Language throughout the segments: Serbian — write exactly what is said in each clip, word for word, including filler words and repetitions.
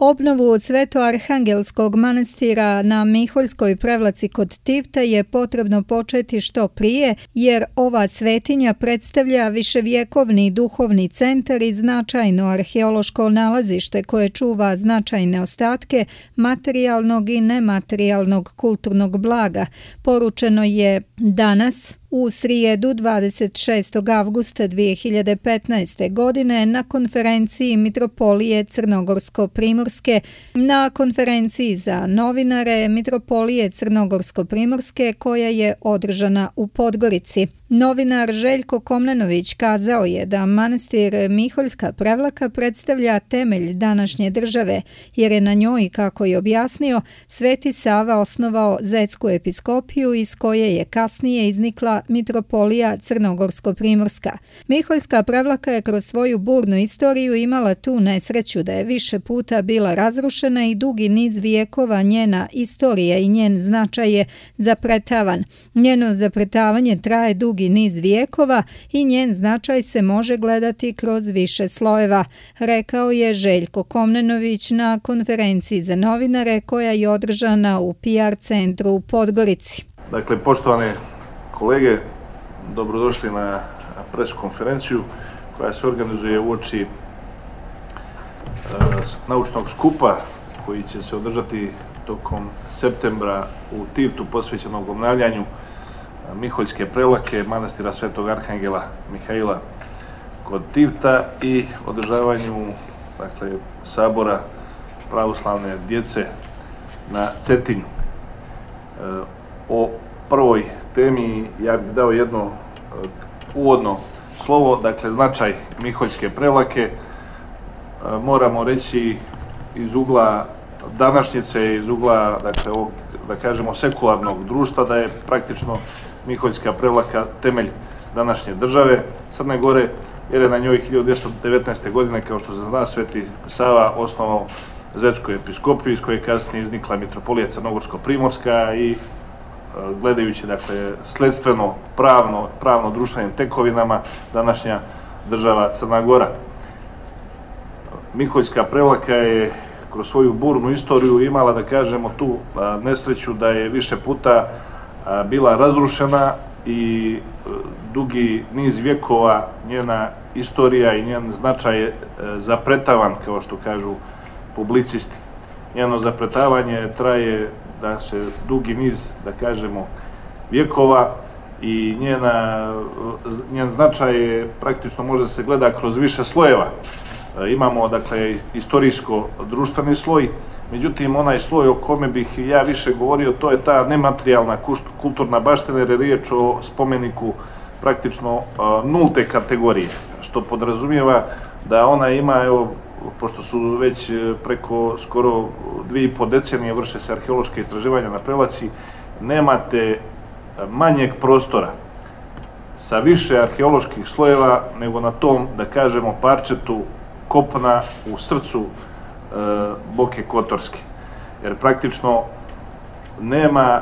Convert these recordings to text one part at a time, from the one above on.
Obnovu Svetoarhangelskog manastira na Miholjskoj Prevlaci kod Tivta je potrebno početi što prije, jer ova svetinja predstavlja viševjekovni duhovni centar i značajno arheološko nalazište koje čuva značajne ostatke materijalnog i nematerijalnog kulturnog blaga, poručeno je danas u srijedu dvadeset šestog avgusta dvije hiljade petnaeste. godine na konferenciji Mitropolije Crnogorsko-Primorske. Na konferenciji za novinare Mitropolije Crnogorsko-Primorske koja je održana u Podgorici. Novinar Željko Komnenović kazao je da manastir Miholjska Prevlaka predstavlja temelj današnje države, jer je na njoj, kako je objasnio, Sveti Sava osnovao Zetsku episkopiju iz koje je kasnije iznikla Mitropolija Crnogorsko-Primorska. Miholjska Prevlaka je kroz svoju burnu istoriju imala tu nesreću da je više puta bila razrušena i dugi niz vijekova njena istorija i njen značaj je zapretavan. Njeno zapretavanje traje dugi niz vijekova i njen značaj se može gledati kroz više slojeva, rekao je Željko Komnenović na konferenciji za novinare koja je održana u P R centru u Podgorici. Dakle, poštovane kolege, dobrodošli na pres konferenciju koja se organizuje uoči naučnog skupa koji će se održati tokom septembra u Tivtu, posvećenog obnavljanju Miholjske Prevlake, manastira Svetog Arhangela Mihaila kod Tivta i održavanju, dakle, sabora pravoslavne djece na Cetinju. O prvoj temi ja bih dao jedno uvodno slovo, dakle, značaj Miholjske Prevlake. Moramo reći iz ugla današnjice, iz ugla, dakle, ovog, da kažemo, sekularnog društva, da je praktično Miholjska Prevlaka temelj današnje države Crne Gore, jer je na njoj hiljadu dvjesto devetnaeste. godine, kao što se zna, Sveti Sava osnovao Zetsku episkopiju, iz koje je kasnije iznikla Mitropolija Crnogorsko-Primorska i gledajući, dakle, sledstveno, pravno, pravno društvenim tekovinama, današnja država Crna Gora. Miholjska Prevlaka je kroz svoju burnu istoriju imala, da kažemo, tu nesreću da je više puta bila razrušena i dugi niz vjekova njena istorija i njen značaj je zapretavan, kao što kažu publicisti. Njeno zapretavanje traje, da se dugi niz, da kažemo, vjekova i njena, njen značaj je praktično može se gleda kroz više slojeva. Imamo, dakle, istorijsko-društveni sloj, međutim, onaj sloj o kome bih ja više govorio, to je ta nematerijalna kulturna baština, jer je riječ o spomeniku praktično nulte kategorije, što podrazumijeva da ona ima, evo, pošto su već preko skoro dvije i po decenije vrše se arheološke istraživanja na Prevlaci, nemate manjeg prostora sa više arheoloških slojeva nego na tom, da kažemo, parčetu kopna u srcu e, Boke Kotorske. Jer praktično nema e,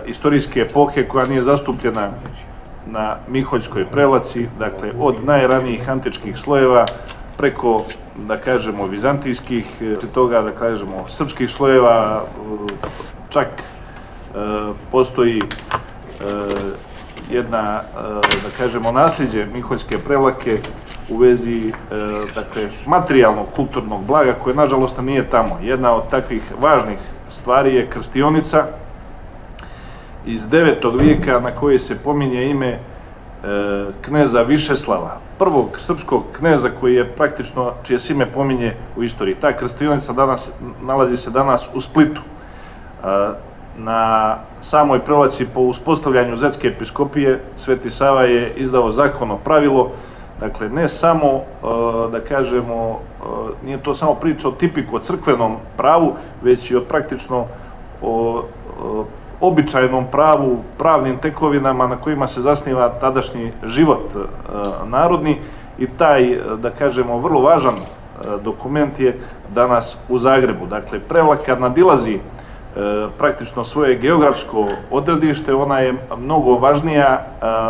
istorijske epohe koja nije zastupljena na Miholjskoj Prevlaci, dakle, od najranijih antičkih slojeva preko, da kažemo, vizantijskih, toga, da kažemo, srpskih slojeva, čak e, postoji e, jedna, da kažemo, nasljeđe Miholjske Prevlake u vezi, dakle, materijalnog kulturnog blaga koje, nažalost, nije tamo. Jedna od takvih važnih stvari je krstionica iz devetog vijeka na koje se pominje ime kneza Višeslava, prvog srpskog kneza koji je praktično, čije se ime pominje u istoriji. Ta krstionica danas, nalazi se danas u Splitu. Na samoj Prevlaci, po uspostavljanju Zetske episkopije, Sveti Sava je izdao zakonno pravilo, dakle, ne samo, da kažemo, nije to samo priča o tipiku, o crkvenom pravu, već i o praktično o običajnom pravu, pravnim tekovinama na kojima se zasniva tadašnji život narodni, i taj, da kažemo, vrlo važan dokument je danas u Zagrebu. Dakle, Prevlaka nadilazi praktično svoje geografsko odredište, ona je mnogo važnija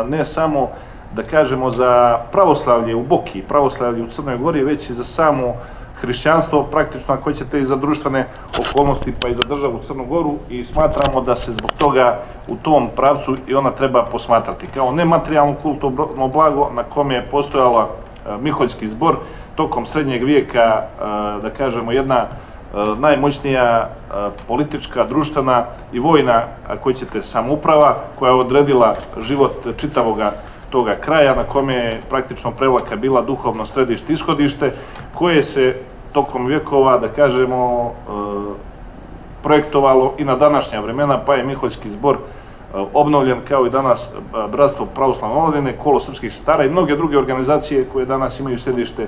ne samo, da kažemo, za pravoslavlje u Boki, pravoslavlje u Crnoj Gori, već i za samo hrišćanstvo, praktično ako ćete i za društvene okolnosti pa i za državu Crnu Goru i smatramo da se zbog toga u tom pravcu i ona treba posmatrati kao nematerijalno kulturno blago na kome je postojala Miholjski zbor tokom srednjeg vijeka, da kažemo jedna najmoćnija politička, društvena i vojna, ako ćete, samouprava koja je odredila život čitavoga toga kraja na kome je praktično Prevlaka bila duhovno središte, ishodište, koje se tokom vjekova, da kažemo, projektovalo i na današnja vremena, pa je Miholjski zbor obnovljen kao i danas Bratstvo pravoslavne omladine, Kolo srpskih sestara i mnoge druge organizacije koje danas imaju središte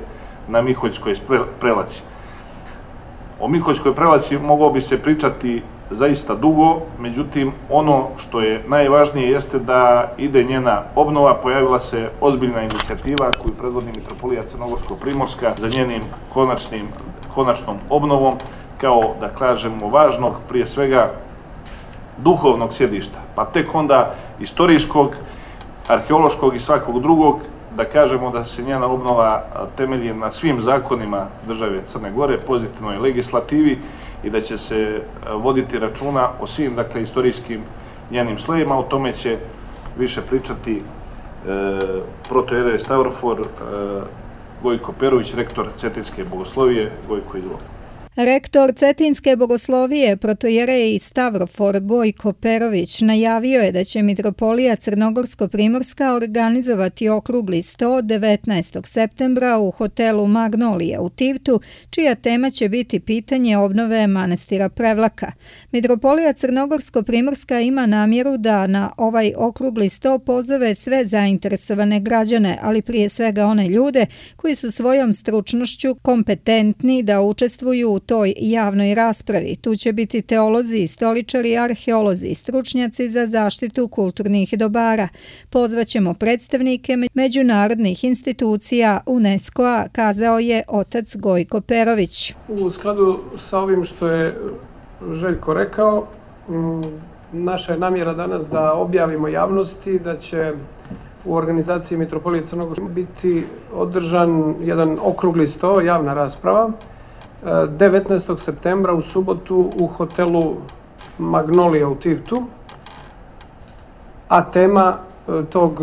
na Miholjskoj Prelaci. O Miholjskoj Prelaci moglo bi se pričati zaista dugo, međutim ono što je najvažnije jeste da ide njena obnova. Pojavila se ozbiljna inicijativa koju predvodi Mitropolija Crnogorsko-Primorska za njenim konačnim, konačnom obnovom kao, da kažemo, važnog, prije svega duhovnog sjedišta, pa tek onda istorijskog, arheološkog i svakog drugog, da kažemo da se njena obnova temelji na svim zakonima države Crne Gore, pozitivnoj legislativi i da će se voditi računa o svim, dakle, istorijskim njenim slojima. O tome će više pričati e, protojerej Stavrofor, e, Gojko Perović, rektor Cetinske bogoslovije. Gojko, izvoli. Rektor Cetinske bogoslovije, protojerej Stavrofor Gojko Perović, najavio je da će Mitropolija Crnogorsko-Primorska organizovati okrugli sto devetnaestog septembra u hotelu Magnolija u Tivtu, čija tema će biti pitanje obnove manastira Prevlaka. Mitropolija Crnogorsko-Primorska ima namjeru da na ovaj okrugli sto pozove sve zainteresovane građane, ali prije svega one ljude koji su svojom stručnošću kompetentni da učestvuju u toj javnoj raspravi. Tu će biti teolozi, istoričari, arheolozi i stručnjaci za zaštitu kulturnih dobara. Pozvaćemo predstavnike međunarodnih institucija UNESCO-a, kazao je otac Gojko Perović. U skladu sa ovim što je Željko rekao, naša je namjera danas da objavimo javnosti da će u organizaciji Mitropolije Crnogorske biti održan jedan okrugli sto, javna rasprava, devetnaestog septembra u subotu u hotelu Magnolija u Tivtu, a tema tog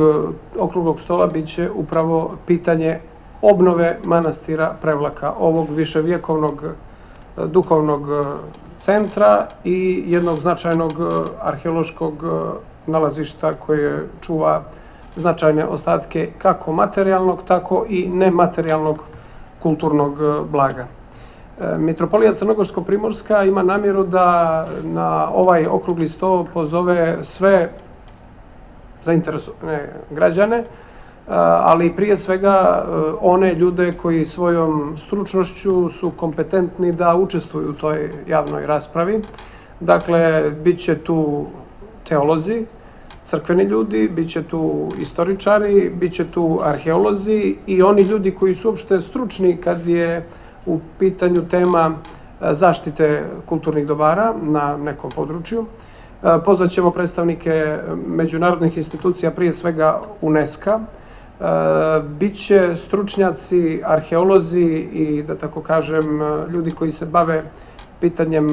okruglog stola bit će upravo pitanje obnove manastira Prevlaka, ovog viševjekovnog duhovnog centra i jednog značajnog arheološkog nalazišta koje čuva značajne ostatke kako materijalnog, tako i nematerijalnog kulturnog blaga. Mitropolija Crnogorsko-Primorska ima namjeru da na ovaj okrugli sto pozove sve zainteresovane građane, ali prije svega one ljude koji svojom stručnošću su kompetentni da učestvuju u toj javnoj raspravi. Dakle, bit će tu teolozi, crkveni ljudi, bit će tu istoričari, bit će tu arheolozi i oni ljudi koji su uopšte stručni kad je u pitanju tema zaštite kulturnih dobara na nekom području. Pozvat ćemo predstavnike međunarodnih institucija, prije svega UNESCO-a. Biće stručnjaci, arheolozi i, da tako kažem, ljudi koji se bave pitanjem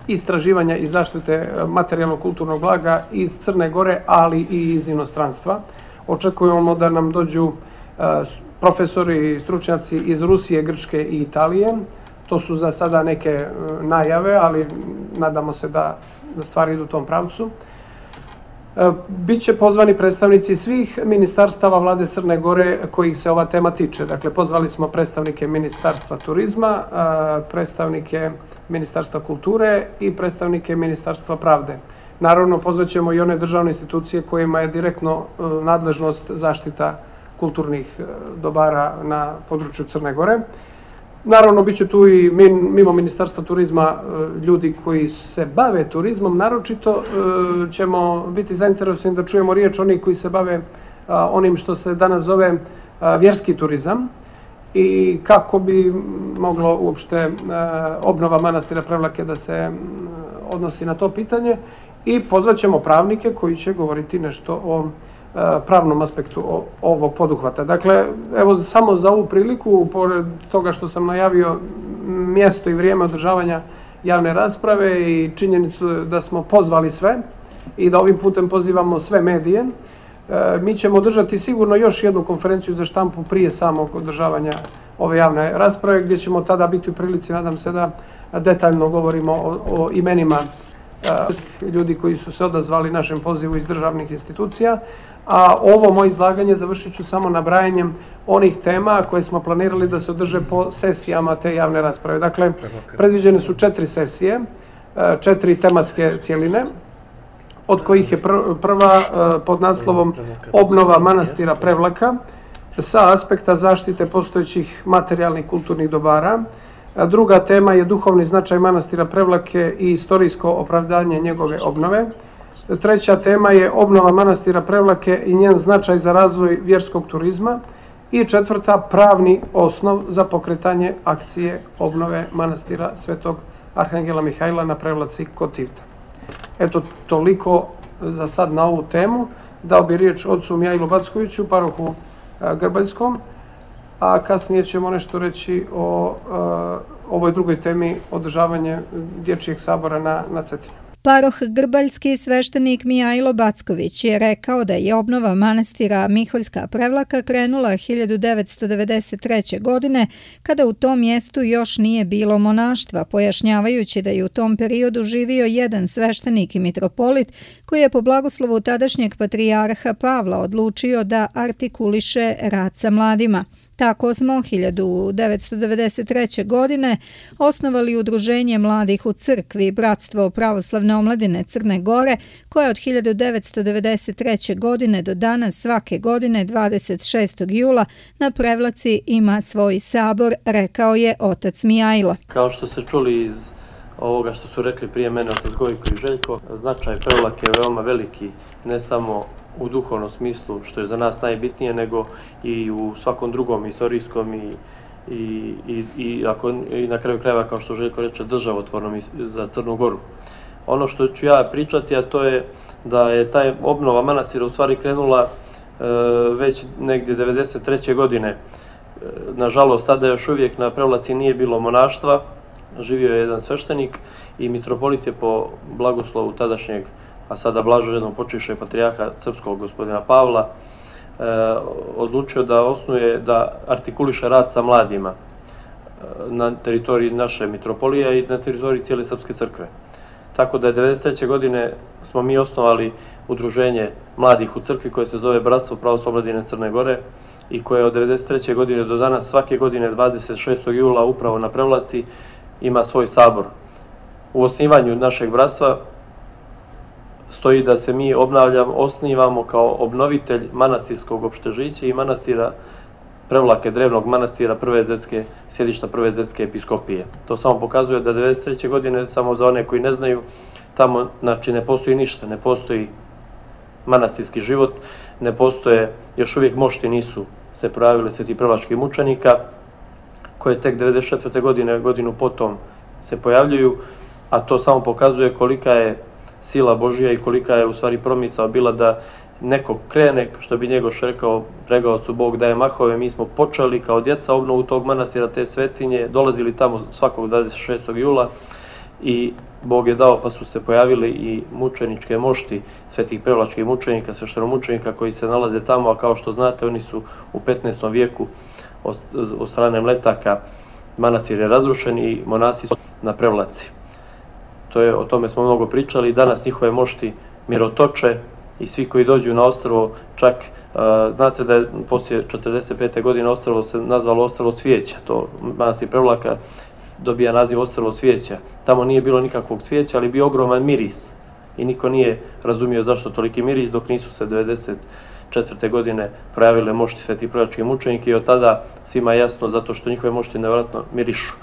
istraživanja i zaštite materijalnog kulturnog blaga iz Crne Gore, ali i iz inostranstva. Očekujemo da nam dođu profesori i stručnjaci iz Rusije, Grčke i Italije. To su za sada neke najave, ali nadamo se da stvari idu u tom pravcu. Biće pozvani predstavnici svih ministarstava vlade Crne Gore kojih se ova tema tiče. Dakle, pozvali smo predstavnike Ministarstva turizma, predstavnike Ministarstva kulture i predstavnike Ministarstva pravde. Naravno, pozvaćemo i one državne institucije kojima je direktno nadležnost zaštita kulturnih dobara na području Crne Gore. Naravno, bit će tu i mimo Ministarstva turizma ljudi koji se bave turizmom. Naročito ćemo biti zainteresovani da čujemo riječ onih koji se bave onim što se danas zove vjerski turizam i kako bi moglo uopšte obnova manastira Prevlake da se odnosi na to pitanje. I pozvat ćemo pravnike koji će govoriti nešto o pravnom aspektu ovog poduhvata. Dakle, evo samo za ovu priliku, pored toga što sam najavio mjesto i vrijeme održavanja javne rasprave i činjenicu da smo pozvali sve i da ovim putem pozivamo sve medije, mi ćemo održati sigurno još jednu konferenciju za štampu prije samog održavanja ove javne rasprave, gdje ćemo tada biti u prilici, nadam se, da detaljno govorimo o, o imenima ljudi koji su se odazvali našem pozivu iz državnih institucija. A ovo moje izlaganje završit ću samo nabrajanjem onih tema koje smo planirali da se održe po sesijama te javne rasprave. Dakle, predviđene su četiri sesije, četiri tematske cjeline, od kojih je prva pod naslovom Obnova manastira Prevlaka sa aspekta zaštite postojećih materijalnih kulturnih dobara. Druga tema je duhovni značaj manastira Prevlake i istorijsko opravdanje njegove obnove. Treća tema je obnova manastira Prevlake i njen značaj za razvoj vjerskog turizma. I četvrta, pravni osnov za pokretanje akcije obnove manastira Svetog Arhangela Mihajla na Prevlaci kod Tivta. Eto, toliko za sad na ovu temu. Dao bi riječ ocu Mihajlu Backoviću, parohu Grbaljskom, a kasnije ćemo nešto reći o ovoj drugoj temi, održavanje dječjeg sabora na, na Cetinju. Paroh Grbaljski sveštenik Mihajlo Backović je rekao da je obnova manastira Miholjska Prevlaka krenula hiljadu devetsto devedeset treće. godine, kada u tom mjestu još nije bilo monaštva, pojašnjavajući da je u tom periodu živio jedan sveštenik i mitropolit koji je po blagoslovu tadašnjeg patrijarha Pavla odlučio da artikuliše rad sa mladima. Tako smo hiljadu devetsto devedeset treće. godine osnovali udruženje mladih u crkvi Bratstvo pravoslavne omladine Crne Gore, koje od hiljadu devetsto devedeset treće. godine do danas svake godine dvadeset šestog jula na Prevlaci ima svoj sabor, rekao je otac Mihajlo. Kao što ste čuli iz ovoga što su rekli prije mene otac Gojko i Željko, značaj Prevlake je veoma veliki, ne samo u duhovnom smislu, što je za nas najbitnije, nego i u svakom drugom istorijskom i, i, i, i, ako, i na kraju krajeva, kao što Željko reče, državotvornom za Crnu Goru. Ono što ću ja pričati, a to je da je taj obnova manastira u stvari krenula e, već negdje devedeset treće. godine. E, nažalost, tada još uvijek na Prevlaci nije bilo monaštva, živio je jedan sveštenik i mitropolit je po blagoslovu tadašnjeg, a sada blaženo počivšeg patrijarha srpskog gospodina Pavla, e, odlučio da osnuje, da artikuliše rad sa mladima na teritoriji naše mitropolije i na teritoriji cijele srpske crkve. Tako da je devedeset treće. godine smo mi osnovali udruženje mladih u crkvi koje se zove Bratstvo pravoslavne omladine Crne Gore i koje od devedeset treće. godine do danas svake godine dvadeset šestog jula upravo na Prevlaci ima svoj sabor. U osnivanju našeg bratstva stoji da se mi obnavljamo, osnivamo kao obnovitelj manastirskog opštežića i manastira Prevlake, drevnog manastira Prve Zetske, sjedišta Prve Zetske episkopije. To samo pokazuje da devedeset treće. godine, samo za one koji ne znaju, tamo znači ne postoji ništa, ne postoji manastirski život, ne postoje, još uvijek mošti nisu se projavile sveti prvačkih mučenika, koje tek devedeset četvrte. godine, godinu potom se pojavljuju, a to samo pokazuje kolika je sila Božija i kolika je u stvari promisao bila da neko krene, što bi Njegoš rekao, pregaocu Bog daje mahove. Mi smo počeli kao djeca obnovu tog manastira, te svetinje, dolazili tamo svakog dvadeset šestog jula i Bog je dao, pa su se pojavili i mučeničke mošti svetih prevlačkih mučenika, sveštenomučenika koji se nalaze tamo, a kao što znate oni su u petnaestom vijeku od strane Mletaka, manastir je razrušen i monasi su na Prevlaci. To je, o tome smo mnogo pričali, danas njihove mošti mirotoče i svi koji dođu na ostrvo, čak uh, znate da je poslije četrdeset pete. godine ostrvo se nazvalo ostrvo cvijeća, to manastir Prevlaka dobija naziv ostrvo cvijeća. Tamo nije bilo nikakvog cvijeća, ali bio ogroman miris i niko nije razumio zašto toliki miris, dok nisu se devedeset četvrte. godine projavile mošti svetih prvačkih mučenika i od tada svima je jasno zato što njihove mošti nevjerojatno mirišu.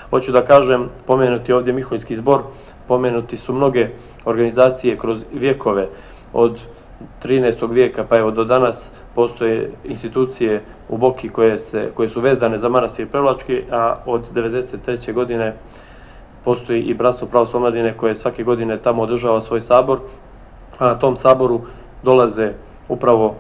Hoću da kažem, pomenuti ovdje Miholjski zbor, pomenuti su mnoge organizacije kroz vjekove, od trinaestog. vijeka pa evo do danas postoje institucije u Boki koje, se, koje su vezane za manastir Prevlački, a od devedeset treće. godine postoji i Bratstvo pravoslavne omladine koje svake godine tamo održava svoj sabor, a na tom saboru dolaze upravo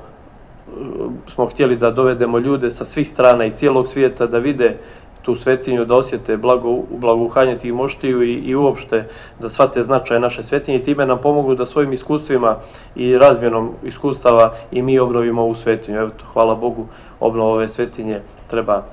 smo htjeli da dovedemo ljude sa svih strana i cijelog svijeta da vide tu svetinju, da osjete blago, blagoухanje tih moštiju i, i uopšte da shvate značaj naše svetinje i time nam pomognu da svojim iskustvima i razmjenom iskustava i mi obnovimo ovu svetinju. Evo, hvala Bogu, obnova ove svetinje treba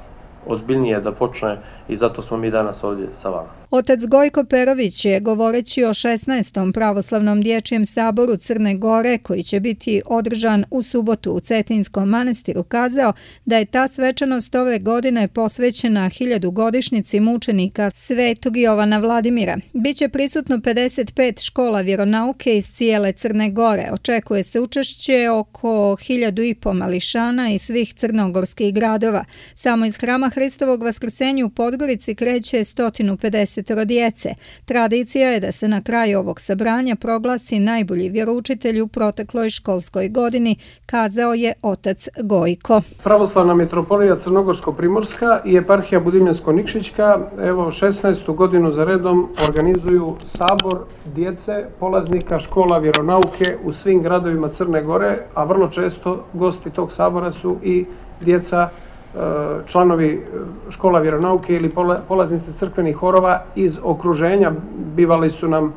ozbiljnije da počne i zato smo mi danas ovdje sa vama. Otac Gojko Perović je, govoreći o šesnaestom pravoslavnom dječjem saboru Crne Gore, koji će biti održan u subotu u Cetinskom manastiru, kazao da je ta svečanost ove godine posvećena hiljadugodišnjici mučenika Svetog Jovana Vladimira. Biće prisutno pedeset pet škola vjeronauke iz cijele Crne Gore. Očekuje se učešće oko hiljadu i po mališana iz svih crnogorskih gradova. Samo iz Hrama Hristovog Vaskrsenja u Podgorici kreće sto pedeset djece. Tradicija je da se na kraju ovog sabranja proglasi najbolji vjeroučitelj u protekloj školskoj godini, kazao je otac Gojko. Pravoslavna mitropolija Crnogorsko-Primorska i eparhija Budimljansko-Nikšićka evo šesnaestu godinu za redom organizuju sabor djece polaznika škola vjeronauke u svim gradovima Crne Gore, a vrlo često gosti tog sabora su i djeca članovi škola vjeronauke ili polaznici crkvenih horova iz okruženja. Bivali su nam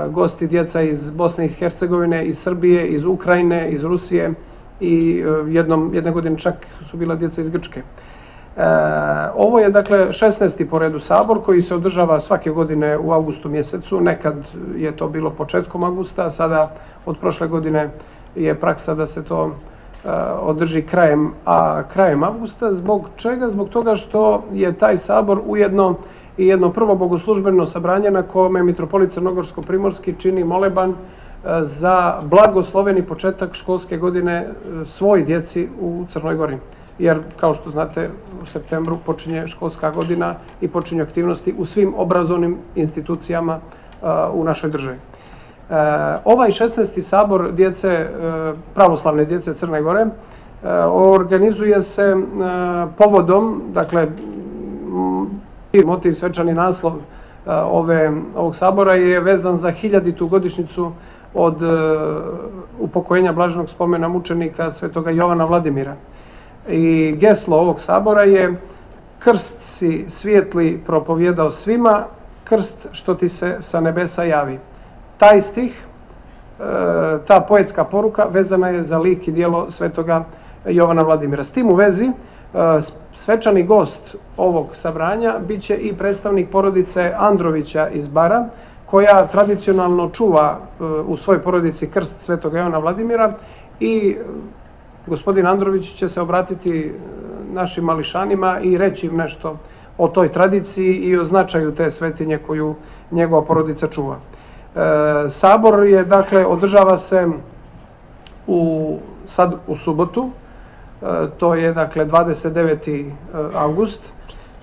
gosti djeca iz Bosne i Hercegovine, iz Srbije, iz Ukrajine, iz Rusije i jednom, jedne godine čak su bila djeca iz Grčke. Ovo je dakle šesnaesti po redu sabor koji se održava svake godine u avgustu mjesecu. Nekad je to bilo početkom avgusta, sada od prošle godine je praksa da se to održi krajem, a krajem avgusta. Zbog čega? Zbog toga što je taj sabor ujedno i jedno prvo bogoslužbeno sabranje na kome mitropolit Crnogorsko-Primorski čini moleban za blagosloveni početak školske godine svoj djeci u Crnoj Gori. Jer, kao što znate, u septembru počinje školska godina i počinju aktivnosti u svim obrazovnim institucijama u našoj državi. Ovaj šesnaesti sabor djece, pravoslavne djece Crne Gore organizuje se povodom, dakle, motiv, svečani naslov ove, ovog sabora je vezan za hiljaditu godišnjicu od upokojenja blaženog spomena mučenika Svetoga Jovana Vladimira. I geslo ovog sabora je: krst si svijetli propovjedao svima, krst što ti se sa nebesa javi. Taj stih, ta poetska poruka vezana je za lik i djelo Svetoga Jovana Vladimira. S tim u vezi, svečani gost ovog sabranja bit će i predstavnik porodice Androvića iz Bara, koja tradicionalno čuva u svojoj porodici krst Svetoga Jovana Vladimira, i gospodin Andrović će se obratiti našim mališanima i reći im nešto o toj tradiciji i o značaju te svetinje koju njegova porodica čuva. E, sabor je, dakle, održava se u, sad u subotu, e, to je, dakle, dvadeset deveti avgust.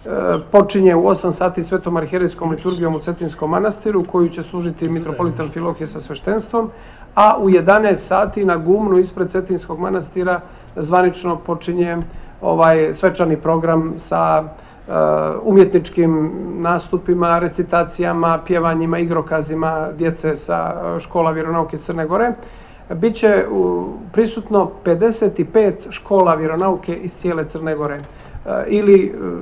E, počinje u osam sati svetom arhijerejskom liturgijom u Cetinskom manastiru, koju će služiti mitropolit Amfilohije sa sveštenstvom, a u jedanaest sati na gumnu ispred Cetinskog manastira zvanično počinje ovaj svečani program sa uh, umjetničkim nastupima, recitacijama, pjevanjima, igrokazima djece sa škola vjeronauke Crne Gore. Biće uh, prisutno pedeset pet škola vjeronauke iz cijele Crne Gore. Uh, ili uh,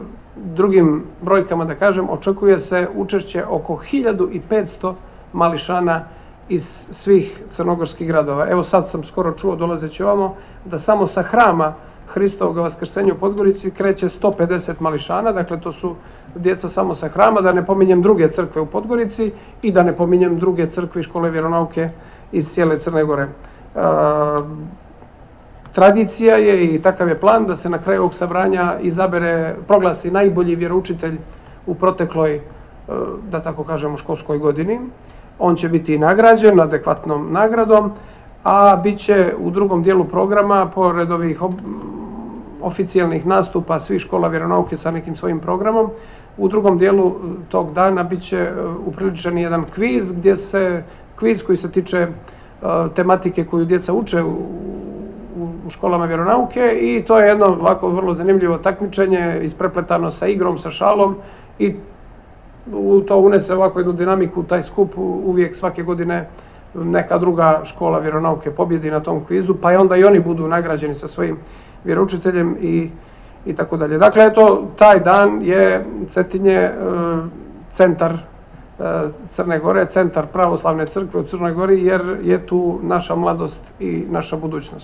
drugim brojkama da kažem, očekuje se učešće oko hiljadu petsto mališana iz svih crnogorskih gradova. Evo, sad sam skoro čuo, dolazeći ovamo, da samo sa Hrama Hristovog Vaskrsenja u Podgorici kreće sto pedeset mališana, dakle to su djeca samo sa Hrama, da ne pominjem druge crkve u Podgorici i da ne pominjem druge crkve i škole vjeronauke iz cijele Crne Gore. E, tradicija je i takav je plan da se na kraju ovog sabranja izabere, proglasi najbolji vjeroučitelj u protekloj, da tako kažemo, školskoj godini. On će biti nagrađen adekvatnom nagradom, a bit će u drugom dijelu programa, pored ovih oficijalnih nastupa svih škola vjeronauke sa nekim svojim programom, u drugom dijelu tog dana bit će upriličen jedan kviz, gdje se, kviz koji se tiče tematike koju djeca uče u, u školama vjeronauke, i to je jedno ovako vrlo zanimljivo takmičenje, isprepletano sa igrom, sa šalom, i u to unese ovako jednu dinamiku, taj skup uvijek svake godine neka druga škola vjeronauke pobjedi na tom kvizu, pa i onda i oni budu nagrađeni sa svojim vjeroučiteljem i, i tako dalje. Dakle, eto, taj dan je Cetinje centar Crne Gore, centar pravoslavne crkve u Crnoj Gori, jer je tu naša mladost i naša budućnost.